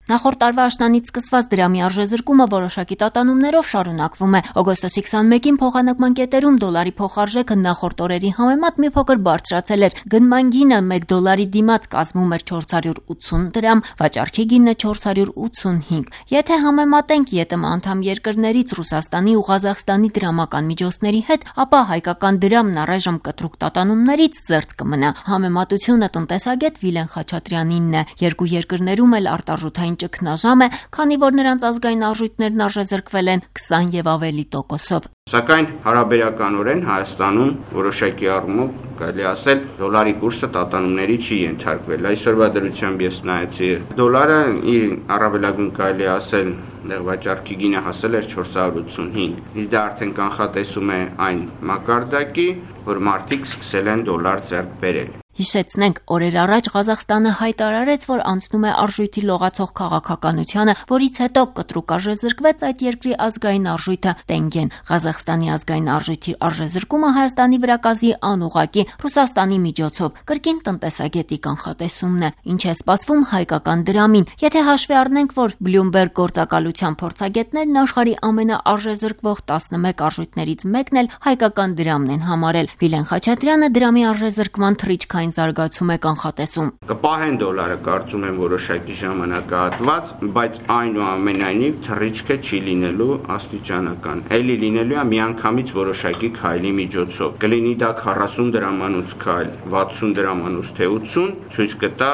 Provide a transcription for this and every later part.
Նախորդ տարվա աշնանից սկսված դրամի արժեզրկումը որոշակի տատանումներով շարունակվում է։ Օգոստոսի 21-ին փոխանակման կետերում դոլարի փոխարժեքը նախորդ օրերի համեմատ մի փոքր բարձրացել էր։ Գնման գինը 1 դոլարի դիմաց կազմում էր 480 դրամ, վաճառքի գինը 485։ Եթե համեմատենք ԵՏՄ անդամ երկրներից Ռուսաստանի ու Ղազախստանի դրամական միջոցների հետ, ապա հայկական դրամն առայժմ կտրուկ տատանումներից զերծ կմնա։ Համեմատությունը տնտեսագետ Վիլեն Խաչատրյանինն է։ Երկու երկրներում էլ արտարժութային ճգնաժամ է, քանի որ նրանց ազգային արժույթներն արժեզրկվել են 20 եւ ավելի տոկոսով։ Սակայն հարաբերականորեն Հայաստանում որոշակի առումով կարելի ասել դոլարի կուրսը տատանումների չի ենթարկվել։ Այսօրվա դրությամբ ես նայեցի, դոլարը իր առավելագույն կարելի ասել վաճառքի գինը հասել էր 485։ Իսկ դա արդեն կանխատեսում է այն մակարդակի, որ մարդիկ սկսել են դոլար ձեռք բերել։ Հիշեցնենք, օրեր առաջ Ղազախստանը հայտարարեց, որ անցնում է արժույթի լողացող քաղաքականությանը, որից հետո կտրուկ արժեզրկվեց այդ երկրի ազգային արժույթը տենգեն։ Ղազախստանի ազգային արժույթի արժեզրկումը Հայաստանի վրա կազդի անուղղակի Ռուսաստանի միջոցով կրկին տնտեսագետի կանխատեսումն է։ Ինչ է սպասվում հայկական դրամին։ Եթե հաշվի առնենք, որ Bloomberg գործակալության փորձագետներն աշխարհի ամենաարժեզրկվող 11 արժույթներից մեկն էլ հայկական դրամն են համարել, Վիլեն Խաչատրյանը դրամի արժեզրկման թռիչքային զարգացում է կանխատեսում։ Կպահեն դոլարը, կարծում եմ որոշակի ժամանակահատված, բայց այնուամենայնիվ թռիչքը չի լինելու աստիճանական։ Էլի լինելու է միանգամից որոշակի քայլի միջոցով։ Կլինի դա 40 դրամանոց քայլ, 60 դրամանոց թե 80, ցույց կտա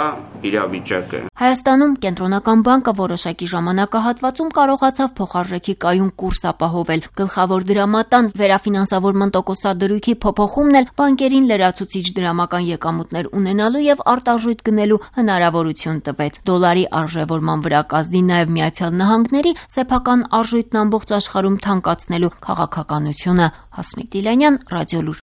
իրավիճակը։ Հայաստանում կենտրոնական բանկը որոշակի ժամանակահատվածում կարողացավ փոխարժեքի կայուն կուրս ապահովել։ Գլխավոր դրամատան վերաֆինանսավորման տոկոսադրույքի փոփոխումն էլ բանկերին լրացուցիչ դրամական եկամուտներ ունենալու եւ արտարժույթ գնելու հնարավորություն տվեց։ Դոլարի արժեվորման վրա կազդի նաեւ Միացյալ Նահանգների սեփական արժույթն ամբողջ աշխարհում թանկացնելու քաղաքականությունը։ Հասմիկ Դիլանյան, Ռադիոլուր։